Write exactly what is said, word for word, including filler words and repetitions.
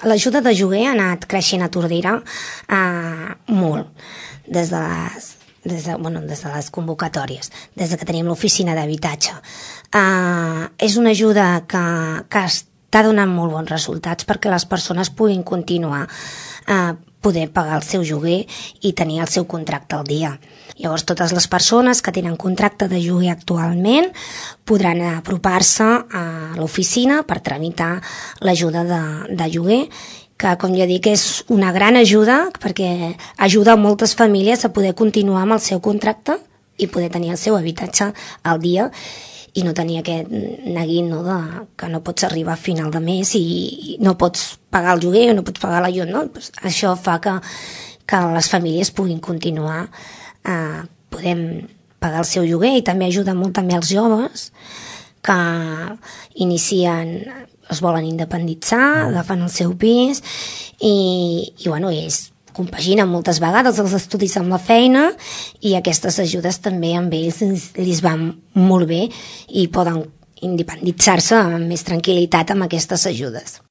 l'ajuda de lloguer ha anat creixent a Tordera eh, molt, des de les, des de, bueno, des de les convocatòries, des de que tenim l'oficina d'habitatge. Eh, és una ajuda que, que està donant molt bons resultats perquè les persones puguin continuar eh, poder pagar el seu lloguer i tenir el seu contracte al dia. Llavors, totes les persones que tenen contracte de lloguer actualment podran apropar-se a l'oficina per tramitar l'ajuda de, de lloguer, que, com ja dic, és una gran ajuda perquè ajuda a moltes famílies a poder continuar amb el seu contracte i poder tenir el seu habitatge al dia i no tenir aquest neguit, no, de, que no pots arribar a final de mes i no pots pagar el lloguer o no pots pagar la llum, no? Pues això fa que, que les famílies puguin continuar eh, podem pagar el seu lloguer i també ajuda molt també als joves que inicien, es volen independitzar, agafen el seu pis i, i bueno, és compaginen moltes vegades els estudis amb la feina i aquestes ajudes també amb ells els van molt bé i poden independitzar-se amb més tranquil·litat amb aquestes ajudes.